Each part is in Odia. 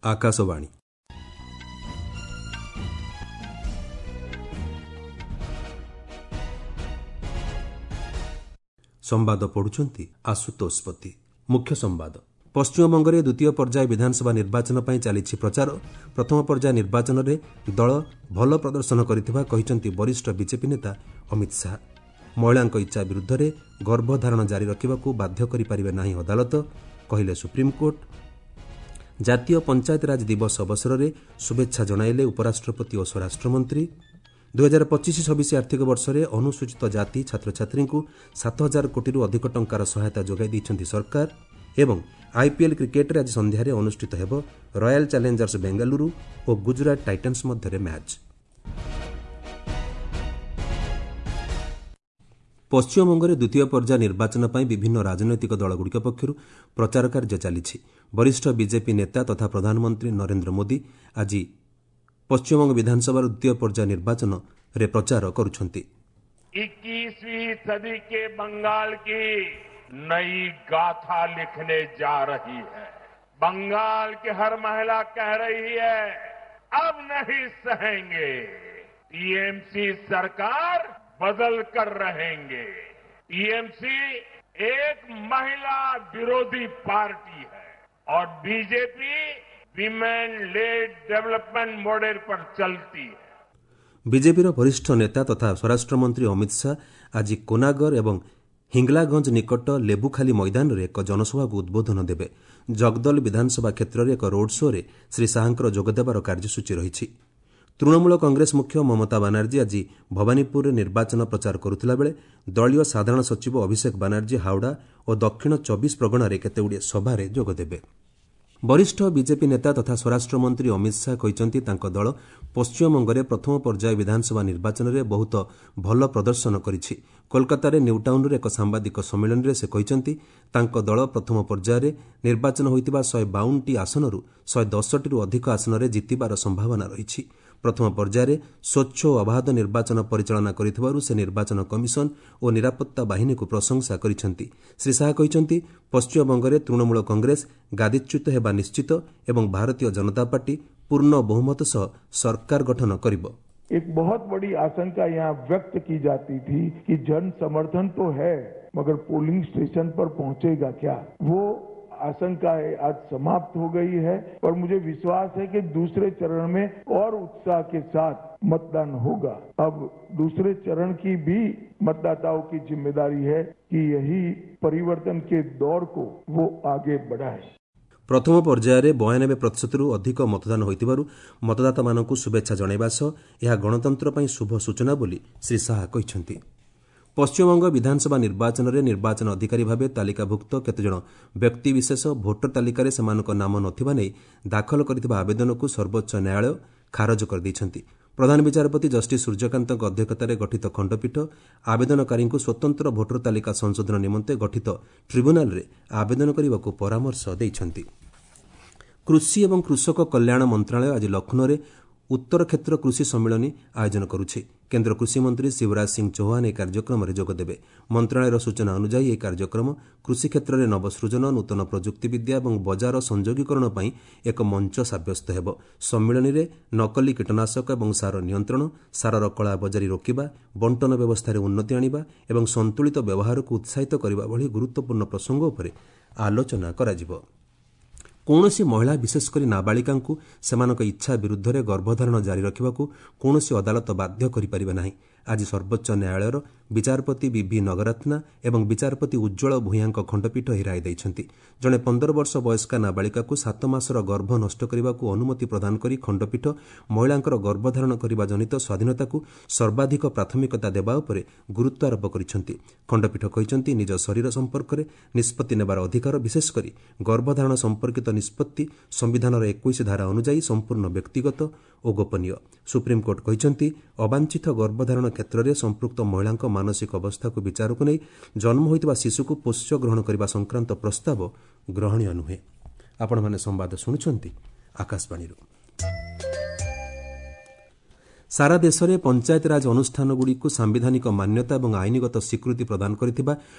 ଆକାଶବାଣୀ। ସମ୍ବାଦ ପଢୁଛନ୍ତି ଆଶୁତୋଷ ପତି। ମୁଖ୍ୟ ସମ୍ବାଦ। ପଶ୍ଚିମବଙ୍ଗରେ ଦ୍ୱିତୀୟ ପର୍ଯ୍ୟାୟ ବିଧାନସଭା ନିର୍ବାଚନ ପାଇଁ ଚାଲିଛି ପ୍ରଚାର। ପ୍ରଥମ ପର୍ଯ୍ୟାୟ ନିର୍ବାଚନରେ ଦଳ ଭଲ ପ୍ରଦର୍ଶନ କରିଥିବା କହିଛନ୍ତି ବରିଷ୍ଠ ବିଜେପି ନେତା ଅମିତ ଶାହା। ମହିଳାଙ୍କ ଇଚ୍ଛା ବିରୁଦ୍ଧରେ ଗର୍ଭଧାରଣ ଜାରି ରଖିବାକୁ ବାଧ୍ୟ କରିପାରିବେ ନାହିଁ ଅଦାଲତ, କହିଲେ ସୁପ୍ରିମକୋର୍ଟ। ଜାତୀୟ ପଞ୍ଚାୟତିରାଜ ଦିବସ ଅବସରରେ ଶୁଭେଚ୍ଛା ଜଣାଇଲେ ଉପରାଷ୍ଟ୍ରପତି ଓ ସ୍ୱରାଷ୍ଟ୍ରମନ୍ତ୍ରୀ। 2025-26 ଆର୍ଥିକ ବର୍ଷରେ ଅନୁସୂଚିତ ଜାତି ଛାତ୍ରଛାତ୍ରୀଙ୍କୁ 7,000 କୋଟିରୁ ଅଧିକ ଟଙ୍କାର ସହାୟତା ଯୋଗାଇ ଦେଇଛନ୍ତି ସରକାର। ଏବଂ ଆଇପିଏଲ୍ କ୍ରିକେଟ୍ରେ ଆଜି ସନ୍ଧ୍ୟାରେ ଅନୁଷ୍ଠିତ ହେବ ରୟାଲ ଚ୍ୟାଲେଞ୍ଜର୍ସ ବେଙ୍ଗାଲୁରୁ ଓ ଗୁଜରାଟ ଟାଇଟାନ୍ସ ମଧ୍ୟରେ ମ୍ୟାଚ୍। ପଶ୍ଚିମବଙ୍ଗରେ ଦ୍ୱିତୀୟ ପର୍ଯ୍ୟାୟ ନିର୍ବାଚନ ପାଇଁ ବିଭିନ୍ନ ରାଜନୈତିକ ଦଳଗୁଡ଼ିକ ପକ୍ଷରୁ ପ୍ରଚାର କାର୍ଯ୍ୟ ଚାଲିଛି। ବରିଷ୍ଠ ବିଜେପି ନେତା ତଥା ପ୍ରଧାନମନ୍ତ୍ରୀ ନରେନ୍ଦ୍ର ମୋଦି ଆଜି ପଶ୍ଚିମବଙ୍ଗ ବିଧାନସଭାର ଦ୍ୱିତୀୟ ପର୍ଯ୍ୟାୟ ନିର୍ବାଚନରେ ପ୍ରଚାର କରୁଛନ୍ତି। 21वीं सदी के बंगाल की नई गाथा लिखने जा रही है। बंगाल की हर महिला कह रही है, अब नहीं सहेंगे, टीएमसी सरकार बदल कर रहेंगे। टीएमसी एक महिला विरोधी पार्टी है और BJP women led development model पर चलती है। ବିଜେପିର ବରିଷ୍ଠ ନେତା ତଥା ସ୍ୱରାଷ୍ଟ୍ରମନ୍ତ୍ରୀ ଅମିତ ଶାହା ଆଜି କୋନାଗର ଏବଂ ହିଙ୍ଗଲାଗଞ୍ଜ ନିକଟ ଲେବୁଖାଲି ମଇଦାନରେ ଏକ ଜନସଭାକୁ ଉଦ୍ବୋଧନ ଦେବେ। ଜଗଦଲ ବିଧାନସଭା କ୍ଷେତ୍ରରେ ଏକ ରୋଡ୍ ଶୋ'ରେ ଶ୍ରୀ ଶାହାଙ୍କର ଯୋଗଦେବାର କାର୍ଯ୍ୟସୂଚୀ ରହିଛି। ତୃଣମୂଳ କଂଗ୍ରେସ ମୁଖ୍ୟ ମମତା ବାନାର୍ଜୀ ଆଜି ଭବାନୀପୁରରେ ନିର୍ବାଚନ ପ୍ରଚାର କରୁଥିଲାବେଳେ ଦଳୀୟ ସାଧାରଣ ସଚିବ ଅଭିଷେକ ବାନାର୍ଜୀ ହାଓଡ଼ା ଓ ଦକ୍ଷିଣ 24 ପ୍ରଗଣାରେ କେତେଗୁଡ଼ିଏ ସଭାରେ ଯୋଗଦେବେ। ବରିଷ୍ଠ ବିଜେପି ନେତା ତଥା ସ୍ୱରାଷ୍ଟ୍ରମନ୍ତ୍ରୀ ଅମିତ ଶାହା କହିଛନ୍ତି, ତାଙ୍କ ଦଳ ପଶ୍ଚିମବଙ୍ଗରେ ପ୍ରଥମ ପର୍ଯ୍ୟାୟ ବିଧାନସଭା ନିର୍ବାଚନରେ ବହୁତ ଭଲ ପ୍ରଦର୍ଶନ କରିଛି। କୋଲକାତାରେ ନ୍ୟୁଟାଉନ୍ରେ ଏକ ସାମ୍ବାଦିକ ସମ୍ମିଳନୀରେ ସେ କହିଛନ୍ତି, ତାଙ୍କ ଦଳ ପ୍ରଥମ ପର୍ଯ୍ୟାୟରେ ନିର୍ବାଚନ ହୋଇଥିବା 152ଟି ଆସନରୁ 110ଟିରୁ ଅଧିକ ଆସନରେ ଜିତିବାର ସମ୍ଭାବନା ରହିଛି। ପ୍ରଥମ ପର୍ଯ୍ୟାୟରେ ସ୍ୱଚ୍ଛ ଓ ଅବାଧ ନିର୍ବାଚନ ପରିଚାଳନା କରିଥିବାରୁ ସେ ନିର୍ବାଚନ କମିଶନ ଓ ନିରାପତ୍ତା ବାହିନୀକୁ ପ୍ରଶଂସା କରିଛନ୍ତି। ଶ୍ରୀ ଶାହା କହିଛନ୍ତି, ପଶ୍ଚିମବଙ୍ଗରେ ତୃଣମୂଳ କଂଗ୍ରେସ ଗାଦିଚ୍ୟୁତ ହେବା ନିଶ୍ଚିତ ଏବଂ ଭାରତୀୟ ଜନତା ପାର୍ଟି ପୂର୍ଣ୍ଣ ବହୁମତ ସହ ସରକାର ଗଠନ କରିବ। एक बहुत बड़ी आशंका यहाँ व्यक्त की जाती थी कि जन समर्थन तो है, मगर पोलिंग स्टेशन पर पहुंचेगा क्या, वो आशंकाएं आज समाप्त हो गई है। और मुझे विश्वास है कि दूसरे चरण में और उत्साह के साथ मतदान होगा। अब दूसरे चरण की भी मतदाताओं की जिम्मेदारी है कि यही परिवर्तन के दौर को वो आगे बढ़ाए। ପ୍ରଥମ ପର୍ଯ୍ୟାୟରେ 92 ପ୍ରତିଶତରୁ ଅଧିକ ମତଦାନ ହୋଇଥିବାରୁ ମତଦାତାମାନଙ୍କୁ ଶୁଭେଚ୍ଛା ଜଣାଇବା ସହ ଏହା ଗଣତନ୍ତ୍ର ପାଇଁ ଶୁଭ ସୂଚନା ବୋଲି ଶ୍ରୀ ଶାହା କହିଛନ୍ତି। ପଶ୍ଚିମବଙ୍ଗ ବିଧାନସଭା ନିର୍ବାଚନରେ ନିର୍ବାଚନ ଅଧିକାରୀ ଭାବେ ତାଲିକାଭୁକ୍ତ କେତେଜଣ ବ୍ୟକ୍ତିବିଶେଷ ଭୋଟର ତାଲିକାରେ ସେମାନଙ୍କ ନାମ ନଥିବା ନେଇ ଦାଖଲ କରିଥିବା ଆବେଦନକୁ ସର୍ବୋଚ୍ଚ ନ୍ୟାୟାଳୟ ଖାରଜ କରିଦେଇଛନ୍ତି। ପ୍ରଧାନ ବିଚାରପତି ଜଷ୍ଟିସ୍ ସୂର୍ଯ୍ୟକାନ୍ତଙ୍କ ଅଧ୍ୟକ୍ଷତାରେ ଗଠିତ ଖଣ୍ଡପୀଠ ଆବେଦନକାରୀଙ୍କୁ ସ୍ୱତନ୍ତ୍ର ଭୋଟର ତାଲିକା ସଂଶୋଧନ ନିମନ୍ତେ ଗଠିତ ଟ୍ରିବ୍ୟୁନାଲରେ ଆବେଦନ କରିବାକୁ ପରାମର୍ଶ ଦେଇଛନ୍ତି। କୃଷି ଏବଂ କୃଷକ କଲ୍ୟାଣ ମନ୍ତ୍ରଣାଳୟ ଆଜି ଲକ୍ଷ୍ନୌରେ ଉତ୍ତର କ୍ଷେତ୍ର କୃଷି ସମ୍ମିଳନୀ ଆୟୋଜନ କରୁଛି। କେନ୍ଦ୍ର କୃଷିମନ୍ତ୍ରୀ ଶିବରାଜ ସିଂ ଚୌହାନ ଏହି କାର୍ଯ୍ୟକ୍ରମରେ ଯୋଗଦେବେ। ମନ୍ତ୍ରଣାଳୟର ସୂଚନା ଅନୁଯାୟୀ ଏହି କାର୍ଯ୍ୟକ୍ରମ କୃଷି କ୍ଷେତ୍ରରେ ନବସୃଜନ, ନୂତନ ପ୍ରଯୁକ୍ତିବିଦ୍ୟା ଏବଂ ବଜାର ସଂଯୋଗୀକରଣ ପାଇଁ ଏକ ମଞ୍ଚ ସାବ୍ୟସ୍ତ ହେବ। ସମ୍ମିଳନୀରେ ନକଲି କୀଟନାଶକ ଏବଂ ସାର ନିୟନ୍ତ୍ରଣ, ସାରର କଳାବଜାରୀ ରୋକିବା, ବଣ୍ଟନ ବ୍ୟବସ୍ଥାରେ ଉନ୍ନତି ଆଣିବା ଏବଂ ସନ୍ତୁଳିତ ବ୍ୟବହାରକୁ ଉତ୍ସାହିତ କରିବା ଭଳି ଗୁରୁତ୍ୱପୂର୍ଣ୍ଣ ପ୍ରସଙ୍ଗ ଉପରେ ଆଲୋଚନା କରାଯିବ। କୌଣସି ମହିଳା, ବିଶେଷ କରି ନାବାଳିକାଙ୍କୁ ସେମାନଙ୍କ ଇଚ୍ଛା ବିରୁଦ୍ଧରେ ଗର୍ଭଧାରଣ ଜାରି ରଖିବାକୁ କୌଣସି ଅଦାଲତ ବାଧ୍ୟ କରିପାରିବେ ନାହିଁ। ଆଜି ସର୍ବୋଚ୍ଚ ନ୍ୟାୟାଳୟର ବିଚାରପତି ବିଭି ନଗରତ୍ନା ଏବଂ ବିଚାରପତି ଉଜ୍ଜ୍ୱଳ ଭୂୟାଁଙ୍କ ଖଣ୍ଡପୀଠ ଏହି ରାୟ ଦେଇଛନ୍ତି। ଜଣେ 15 ବର୍ଷ ବୟସ୍କା ନାବାଳିକାକୁ 7 ମାସର ଗର୍ଭ ନଷ୍ଟ କରିବାକୁ ଅନୁମତି ପ୍ରଦାନ କରି ଖଣ୍ଡପୀଠ ମହିଳାଙ୍କର ଗର୍ଭଧାରଣ କରିବା ଜନିତ ସ୍ୱାଧୀନତାକୁ ସର୍ବାଧିକ ପ୍ରାଥମିକତା ଦେବା ଉପରେ ଗୁରୁତ୍ୱାରୋପ କରିଛନ୍ତି। ଖଣ୍ଡପୀଠ କହିଛନ୍ତି, ନିଜ ଶରୀର ସମ୍ପର୍କରେ ନିଷ୍ପତ୍ତି ନେବାର ଅଧିକାର, ବିଶେଷ କରି ଗର୍ଭଧାରଣ ସମ୍ପର୍କିତ ନିଷ୍ପତ୍ତି ସମ୍ବିଧାନର 21 ଧାରା ଅନୁଯାୟୀ ସମ୍ପୂର୍ଣ୍ଣ ବ୍ୟକ୍ତିଗତ ଓ ଗୋପନୀୟ। ସୁପ୍ରିମକୋର୍ଟ କହିଛନ୍ତି, ଅବାଞ୍ଛିତ ଗର୍ଭଧାରଣ କ୍ଷେତ୍ରରେ ସମ୍ପୃକ୍ତ ମହିଳାଙ୍କ ମାନସିକ ଅବସ୍ଥାକୁ ବିଚାରକୁ ନେଇ ଜନ୍ମ ହୋଇଥିବା ଶିଶୁକୁ ପୋଷ୍ୟ ଗ୍ରହଣ କରିବା ସଂକ୍ରାନ୍ତ ପ୍ରସ୍ତାବ ଗ୍ରହଣୀୟ ନୁହେଁ। ଆପଣମାନେ ସମ୍ବାଦ ଶୁଣୁଛନ୍ତି ଆକାଶବାଣୀରୁ। ସାରା ଦେଶରେ ପଞ୍ଚାୟତରାଜ ଅନୁଷ୍ଠାନଗୁଡ଼ିକୁ ସାମ୍ବିଧାନିକ ମାନ୍ୟତା ଏବଂ ଆଇନଗତ ସ୍ୱୀକୃତି ପ୍ରଦାନ କରିଥିବା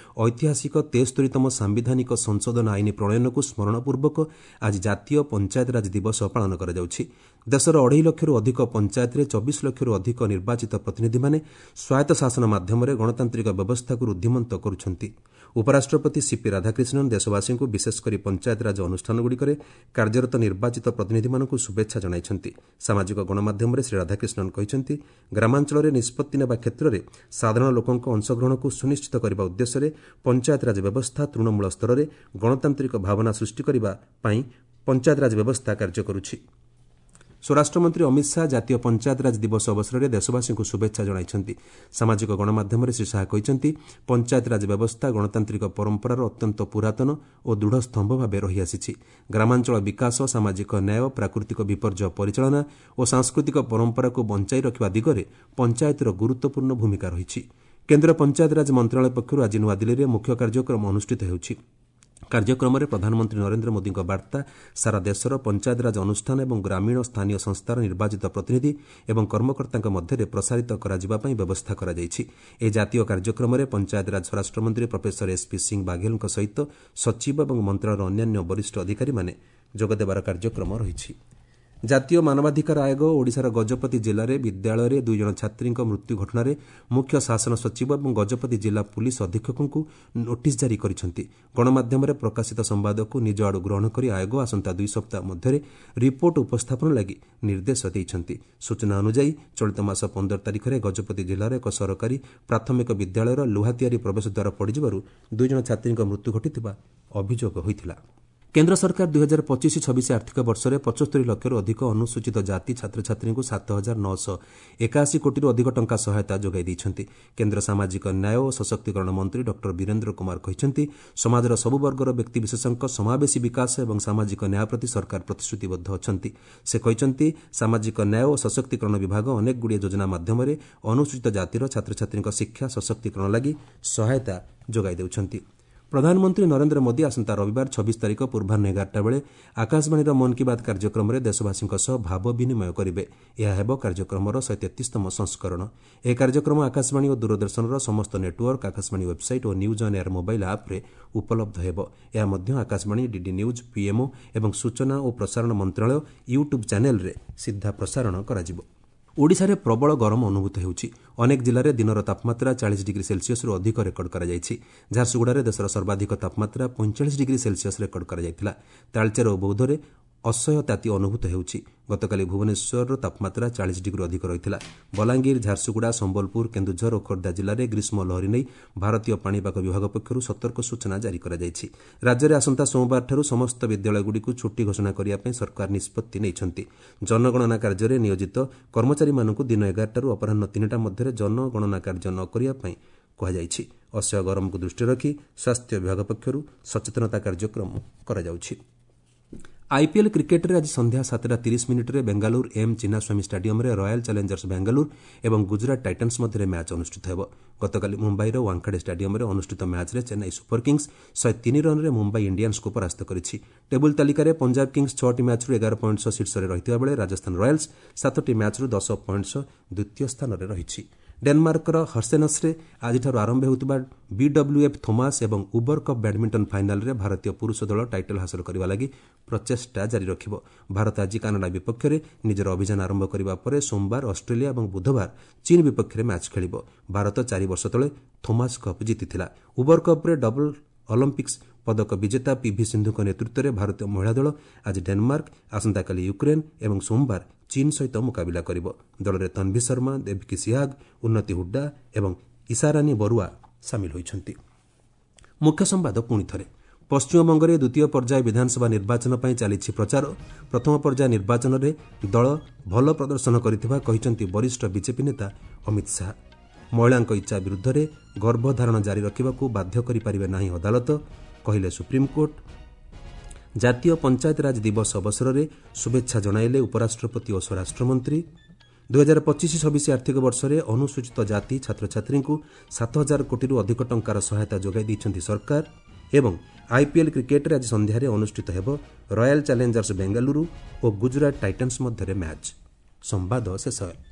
ଐତିହାସିକ 73ତମ ସାମ୍ବିଧାନିକ ସଂଶୋଧନ ଆଇନ ପ୍ରଣୟନକୁ ସ୍ମରଣପୂର୍ବକ ଆଜି ଜାତୀୟ ପଞ୍ଚାୟତରାଜ ଦିବସ ପାଳନ କରାଯାଉଛି। ଦେଶର 2.5 ଲକ୍ଷରୁ ଅଧିକ ପଞ୍ଚାୟତରେ 24 ଲକ୍ଷରୁ ଅଧିକ ନିର୍ବାଚିତ ପ୍ରତିନିଧିମାନେ ସ୍ୱାୟତ୍ତ ଶାସନ ମାଧ୍ୟମରେ ଗଣତାନ୍ତ୍ରିକ ବ୍ୟବସ୍ଥାକୁ ରୁଦ୍ଧିମନ୍ତ କରୁଛନ୍ତି। ଉପରାଷ୍ଟ୍ରପତି ସିପି ରାଧାକ୍ରିଷ୍ଣନ୍ ଦେଶବାସୀଙ୍କୁ, ବିଶେଷ କରି ପଞ୍ଚାୟତରାଜ ଅନୁଷ୍ଠାନଗୁଡ଼ିକରେ କାର୍ଯ୍ୟରତ ନିର୍ବାଚିତ ପ୍ରତିନିଧିମାନଙ୍କୁ ଶୁଭେଚ୍ଛା ଜଣାଇଛନ୍ତି। ସାମାଜିକ ଗଣମାଧ୍ୟମରେ ଶ୍ରୀ ରାଧାକ୍ରିଷ୍ଣନ୍ କହିଛନ୍ତି, ଗ୍ରାମାଞ୍ଚଳରେ ନିଷ୍ପତ୍ତି ନେବା କ୍ଷେତ୍ରରେ ସାଧାରଣ ଲୋକଙ୍କ ଅଂଶଗ୍ରହଣକୁ ସୁନିଶ୍ଚିତ କରିବା ଉଦ୍ଦେଶ୍ୟରେ ପଞ୍ଚାୟତରାଜ ବ୍ୟବସ୍ଥା ତୃଣମୂଳ ସ୍ତରରେ ଗଣତାନ୍ତ୍ରିକ ଭାବନା ସୃଷ୍ଟି କରିବା ପାଇଁ ପଞ୍ଚାୟତରାଜ ବ୍ୟବସ୍ଥା କାର୍ଯ୍ୟ କରୁଛି। ସ୍ୱରାଷ୍ଟ୍ରମନ୍ତ୍ରୀ ଅମିତ ଶାହା ଜାତୀୟ ପଞ୍ଚାୟତରାଜ ଦିବସ ଅବସରରେ ଦେଶବାସୀଙ୍କୁ ଶୁଭେଚ୍ଛା ଜଣାଇଛନ୍ତି। ସାମାଜିକ ଗଣମାଧ୍ୟମରେ ଶ୍ରୀ ଶାହା କହିଛନ୍ତି, ପଞ୍ଚାୟତରାଜ ବ୍ୟବସ୍ଥା ଗଣତାନ୍ତ୍ରିକ ପରମ୍ପରାର ଅତ୍ୟନ୍ତ ପୁରାତନ ଓ ଦୃଢ଼ ସ୍ତମ୍ଭ ଭାବେ ରହିଆସିଛି। ଗ୍ରାମାଞ୍ଚଳ ବିକାଶ, ସାମାଜିକ ନ୍ୟାୟ, ପ୍ରାକୃତିକ ବିପର୍ଯ୍ୟୟ ପରିଚାଳନା ଓ ସାଂସ୍କୃତିକ ପରମ୍ପରାକୁ ବଞ୍ଚାଇ ରଖିବା ଦିଗରେ ପଞ୍ଚାୟତର ଗୁରୁତ୍ୱପୂର୍ଣ୍ଣ ଭୂମିକା ରହିଛି। କେନ୍ଦ୍ର ପଞ୍ଚାୟତରାଜ ମନ୍ତ୍ରଣାଳୟ ପକ୍ଷରୁ ଆଜି ନୂଆଦିଲ୍ଲୀରେ ମୁଖ୍ୟ କାର୍ଯ୍ୟକ୍ରମ ଅନୁଷ୍ଠିତ ହେଉଛି। କାର୍ଯ୍ୟକ୍ରମରେ ପ୍ରଧାନମନ୍ତ୍ରୀ ନରେନ୍ଦ୍ର ମୋଦିଙ୍କ ବାର୍ତ୍ତା ସାରା ଦେଶର ପଞ୍ଚାୟତରାଜ ଅନୁଷ୍ଠାନ ଏବଂ ଗ୍ରାମୀଣ ସ୍ଥାନୀୟ ସଂସ୍ଥାର ନିର୍ବାଚିତ ପ୍ରତିନିଧି ଏବଂ କର୍ମକର୍ତ୍ତାଙ୍କ ମଧ୍ୟରେ ପ୍ରସାରିତ କରାଯିବା ପାଇଁ ବ୍ୟବସ୍ଥା କରାଯାଇଛି। ଏହି ଜାତୀୟ କାର୍ଯ୍ୟକ୍ରମରେ ପଞ୍ଚାୟତରାଜ ସ୍ୱରାଷ୍ଟ୍ରମନ୍ତ୍ରୀ ପ୍ରଫେସର ଏସ୍ପି ସିଂ ବାଘେଲଙ୍କ ସହିତ ସଚିବ ଏବଂ ମନ୍ତ୍ରଣାଳୟର ଅନ୍ୟାନ୍ୟ ବରିଷ୍ଠ ଅଧିକାରୀମାନେ ଯୋଗଦେବାର କାର୍ଯ୍ୟକ୍ରମ ରହିଛି। ଜାତୀୟ ମାନବାଧିକାର ଆୟୋଗ ଓଡ଼ିଶାର ଗଜପତି ଜିଲ୍ଲାରେ ବିଦ୍ୟାଳୟରେ 2 ଜଣ ଛାତ୍ରୀଙ୍କ ମୃତ୍ୟୁ ଘଟଣାରେ ମୁଖ୍ୟ ଶାସନ ସଚିବ ଏବଂ ଗଜପତି ଜିଲ୍ଲା ପୁଲିସ୍ ଅଧୀକ୍ଷକଙ୍କୁ ନୋଟିସ୍ ଜାରି କରିଛନ୍ତି। ଗଣମାଧ୍ୟମରେ ପ୍ରକାଶିତ ସମ୍ବାଦକୁ ନିଜ ଆଡ଼ୁ ଗ୍ରହଣ କରି ଆୟୋଗ ଆସନ୍ତା 2 ସପ୍ତାହ ମଧ୍ୟରେ ରିପୋର୍ଟ ଉପସ୍ଥାପନ ଲାଗି ନିର୍ଦ୍ଦେଶ ଦେଇଛନ୍ତି। ସୂଚନା ଅନୁଯାୟୀ, ଚଳିତ ମାସ 15 ତାରିଖରେ ଗଜପତି ଜିଲ୍ଲାର ଏକ ସରକାରୀ ପ୍ରାଥମିକ ବିଦ୍ୟାଳୟର ଲୁହା ତିଆରି ପ୍ରବେଶ ଦ୍ୱାର ପଡ଼ିଯିବାରୁ 2 ଜଣ ଛାତ୍ରୀଙ୍କ ମୃତ୍ୟୁ ଘଟିଥିବା ଅଭିଯୋଗ ହୋଇଥିଲା। କେନ୍ଦ୍ର ସରକାର 2025-26 ଆର୍ଥିକ ବର୍ଷରେ 75 ଲକ୍ଷରୁ ଅଧିକ ଅନୁସୂଚିତ ଜାତି ଛାତ୍ରଛାତ୍ରୀଙ୍କୁ 7981 କୋଟିରୁ ଅଧିକ ଟଙ୍କା ସହାୟତା ଯୋଗାଇ ଦେଇଛନ୍ତି। କେନ୍ଦ୍ର ସାମାଜିକ ନ୍ୟାୟ ଓ ସଶକ୍ତିକରଣ ମନ୍ତ୍ରୀ ଡକ୍ଟର ବୀରେନ୍ଦ୍ର କୁମାର କହିଛନ୍ତି, ସମାଜର ସବୁ ବର୍ଗର ବ୍ୟକ୍ତିବିଶେଷଙ୍କ ସମାବେଶୀ ବିକାଶ ଏବଂ ସାମାଜିକ ନ୍ୟାୟ ପ୍ରତି ସରକାର ପ୍ରତିଶ୍ରୁତିବଦ୍ଧ ଅଛନ୍ତି। ସେ କହିଛନ୍ତି, ସାମାଜିକ ନ୍ୟାୟ ଓ ସଶକ୍ତିକରଣ ବିଭାଗ ଅନେକଗୁଡ଼ିଏ ଯୋଜନା ମାଧ୍ୟମରେ ଅନୁସୂଚିତ ଜାତିର ଛାତ୍ରଛାତ୍ରୀଙ୍କ ଶିକ୍ଷା ସଶକ୍ତିକରଣ ଲାଗି ସହାୟତା ଯୋଗାଇ ଦେଉଛନ୍ତି। ପ୍ରଧାନମନ୍ତ୍ରୀ ନରେନ୍ଦ୍ର ମୋଦି ଆସନ୍ତା ରବିବାର 26 ତାରିଖ ପୂର୍ବାହ୍ନ 11ଟା ବେଳେ ଆକାଶବାଣୀର ମନ୍ କି ବାତ୍ କାର୍ଯ୍ୟକ୍ରମରେ ଦେଶବାସୀଙ୍କ ସହ ଭାବ ବିନିମୟ କରିବେ। ଏହା ହେବ କାର୍ଯ୍ୟକ୍ରମର 133ତମ ସଂସ୍କରଣ। ଏହି କାର୍ଯ୍ୟକ୍ରମ ଆକାଶବାଣୀ ଓ ଦୂରଦର୍ଶନର ସମସ୍ତ network, Akashvani website O news on air mobile ଆପ୍ରେ ଉପଲବ୍ଧ ହେବ। ଏହା ମଧ୍ୟ ଆକାଶବାଣୀ, ଡିଡି ନ୍ୟୁଜ୍, ପିଏମ୍ଓ ଏବଂ ସୂଚନା ଓ ପ୍ରସାରଣ ମନ୍ତ୍ରଣାଳୟ ୟୁଟ୍ୟୁବ୍ ଚ୍ୟାନେଲ୍ରେ ସିଧା ପ୍ରସାରଣ କରାଯିବ। ଓଡ଼ିଶାରେ ପ୍ରବଳ ଗରମ ଅନୁଭୂତ ହେଉଛି। ଅନେକ ଜିଲ୍ଲାରେ ଦିନର ତାପମାତ୍ରା 40 ଡିଗ୍ରୀ ସେଲ୍ସିୟସରୁ ଅଧିକ ରେକର୍ଡ କରାଯାଇଛି। ଝାରସୁଗୁଡ଼ାରେ ଦେଶର ସର୍ବାଧିକ ତାପମାତ୍ରା 45 ଡିଗ୍ରୀ ସେଲ୍ସିୟସ ରେକର୍ଡ କରାଯାଇଥିଲା। ତାଳଚେର ଓ ବୌଦ୍ଧରେ ଅସହ୍ୟ ତାତି ଅନୁଭୂତ ହେଉଛି। ଗତକାଲି ଭୁବନେଶ୍ୱରର ତାପମାତ୍ରା 40 ଡିଗ୍ରୀରୁ ଅଧିକ ରହିଥିଲା। ବଲାଙ୍ଗୀର, ଝାରସୁଗୁଡ଼ା, ସମ୍ବଲପୁର, କେନ୍ଦୁଝର ଓ ଖୋର୍ଦ୍ଧା ଜିଲ୍ଲାରେ ଗ୍ରୀଷ୍ମ ଲହରୀ ନେଇ ଭାରତୀୟ ପାଣିପାଗ ବିଭାଗ ପକ୍ଷରୁ ସତର୍କ ସୂଚନା ଜାରି କରାଯାଇଛି। ରାଜ୍ୟରେ ଆସନ୍ତା ସୋମବାରଠାରୁ ସମସ୍ତ ବିଦ୍ୟାଳୟଗୁଡ଼ିକୁ ଛୁଟି ଘୋଷଣା କରିବା ପାଇଁ ସରକାର ନିଷ୍ପତ୍ତି ନେଇଛନ୍ତି। ଜନଗଣନା କାର୍ଯ୍ୟରେ ନିୟୋଜିତ କର୍ମଚାରୀମାନଙ୍କୁ ଦିନ 11ଟାରୁ ଅପରାହ୍ନ 3ଟା ମଧ୍ୟରେ ଜନଗଣନା କାର୍ଯ୍ୟ ନ କରିବା ପାଇଁ କୁହାଯାଇଛି। ଅସହ୍ୟ ଗରମକୁ ଦୃଷ୍ଟିରେ ରଖି ସ୍ୱାସ୍ଥ୍ୟ ବିଭାଗ ପକ୍ଷରୁ ସଚେତନତା କାର୍ଯ୍ୟକ୍ରମ କରାଯାଉଛି। ଆଇପିଏଲ୍ କ୍ରିକେଟ୍ରେ ଆଜି ସନ୍ଧ୍ୟା 7ଟା 30 ମିନିଟ୍ରେ ବେଙ୍ଗାଲୁରୁ ଏମ୍ ଚିନ୍ନାସ୍ୱାମୀ ଷ୍ଟାଡିୟମ୍ରେ ରୟାଲ୍ ଚ୍ୟାଲେଞ୍ଜର୍ସ ବାଙ୍ଗାଲୁରୁ ଏବଂ ଗୁଜରାଟ ଟାଇଟାନ୍ସ ମଧ୍ୟରେ ମ୍ୟାଚ୍ ଅନୁଷ୍ଠିତ ହେବ। ଗତକାଲି ମୁମ୍ବାଇର ୱାଙ୍ଖାଡେ ଷ୍ଟାଡିୟମ୍ରେ ଅନୁଷ୍ଠିତ ମ୍ୟାଚ୍ରେ ଚେନ୍ନାଇ ସୁପର କିଙ୍ଗ୍ସ 103 ରନ୍ରେ ମୁମ୍ବାଇ ଇଣ୍ଡିଆନ୍ସକୁ ପରାସ୍ତ କରିଛି। ଟେବୁଲ୍ ତାଲିକାରେ ପଞ୍ଜାବ କିଙ୍ଗ୍ସ ଛଅଟି ମ୍ୟାଚ୍ରୁ 11 ପଏଣ୍ଟ ସହ ଶୀର୍ଷରେ ରହିଥିବା ବେଳେ ରାଜସ୍ଥାନ ରୟାଲ୍ସ ସାତଟି ମ୍ୟାଚ୍ରୁ 10 ପଏଣ୍ଟ ସହ ଦ୍ୱିତୀୟ ସ୍ଥାନରେ ରହିଛି। ଡେନମାର୍କର ହର୍ସେନସ୍ରେ ଆଜିଠାରୁ ଆରମ୍ଭ ହେଉଥିବା ବିଡବ୍ଲ୍ୟୁଏଫ୍ ଥୋମାସ୍ ଏବଂ ଉବର କପ୍ ବ୍ୟାଡ୍ମିଣ୍ଟନ ଫାଇନାଲ୍ରେ ଭାରତୀୟ ପୁରୁଷ ଦଳ ଟାଇଟଲ୍ ହାସଲ କରିବା ଲାଗି ପ୍ରଚେଷ୍ଟା ଜାରି ରଖିବ। ଭାରତ ଆଜି କାନାଡା ବିପକ୍ଷରେ ନିଜର ଅଭିଯାନ ଆରମ୍ଭ କରିବା ପରେ ସୋମବାର ଅଷ୍ଟ୍ରେଲିଆ ଏବଂ ବୁଧବାର ଚୀନ୍ ବିପକ୍ଷରେ ମ୍ୟାଚ୍ ଖେଳିବ। ଭାରତ 4 ବର୍ଷ ତଳେ ଥୋମାସ୍ କପ୍ ଜିତିଥିଲା। ଉବର କପ୍ରେ ଡବଲ୍ ଅଲିମ୍ପିକ୍ସ ପଦକ ବିଜେତା ପିଭି ସିନ୍ଧୁଙ୍କ ନେତୃତ୍ୱରେ ଭାରତୀୟ ମହିଳା ଦଳ ଆଜି ଡେନମାର୍କ, ଆସନ୍ତାକାଲି ୟୁକ୍ରେନ୍ ଏବଂ ସୋମବାର ଚୀନ୍ ସହିତ ମୁକାବିଲା କରିବ। ଦଳରେ ତନ୍ଭି ଶର୍ମା, ଦେବକୀ ସିହାଗ, ଉନ୍ନତି ହୁଡ୍ଡା ଏବଂ ଇଶାରାନୀ ବରୁଆ ସାମିଲ ହୋଇଛନ୍ତି। ମୁଖ୍ୟ ସମ୍ବାଦ ପୁଣି ଥରେ। ପଶ୍ଚିମବଙ୍ଗରେ ଦ୍ୱିତୀୟ ପର୍ଯ୍ୟାୟ ବିଧାନସଭା ନିର୍ବାଚନ ପାଇଁ ଚାଲିଛି ପ୍ରଚାର। ପ୍ରଥମ ପର୍ଯ୍ୟାୟ ନିର୍ବାଚନରେ ଦଳ ଭଲ ପ୍ରଦର୍ଶନ କରିଥିବା କହିଛନ୍ତି ବରିଷ୍ଠ ବିଜେପି ନେତା ଅମିତ ଶାହା। ମହିଳାଙ୍କ ଇଚ୍ଛା ବିରୁଦ୍ଧରେ ଗର୍ଭଧାରଣ ଜାରି ରଖିବାକୁ ବାଧ୍ୟ କରିପାରିବେ ନାହିଁ ଅଦାଲତ, କହିଲେ ସୁପ୍ରିମକୋର୍ଟ। ଜାତୀୟ ପଞ୍ଚାୟତରାଜ ଦିବସ ଅବସରରେ ଶୁଭେଚ୍ଛା ଜଣାଇଲେ ଉପରାଷ୍ଟ୍ରପତି ଓ ସ୍ୱରାଷ୍ଟ୍ରମନ୍ତ୍ରୀ। 2025-26 ଆର୍ଥିକ ବର୍ଷରେ ଅନୁସୂଚିତ ଜାତି ଛାତ୍ରଛାତ୍ରୀଙ୍କୁ 7000 କୋଟିରୁ ଅଧିକ ଟଙ୍କାର ସହାୟତା ଯୋଗାଇ ଦେଇଛନ୍ତି ସରକାର। ଏବଂ ଆଇପିଏଲ୍ କ୍ରିକେଟ୍ରେ ଆଜି ସନ୍ଧ୍ୟାରେ ଅନୁଷ୍ଠିତ ହେବ ରୟାଲ୍ ଚ୍ୟାଲେଞ୍ଜର୍ସ ବେଙ୍ଗାଲୁରୁ ଓ ଗୁଜରାଟ ଟାଇଟାନ୍ସ ମଧ୍ୟରେ ମ୍ୟାଚ୍। ସମ୍ବାଦ ଶେଷ ହେଲା।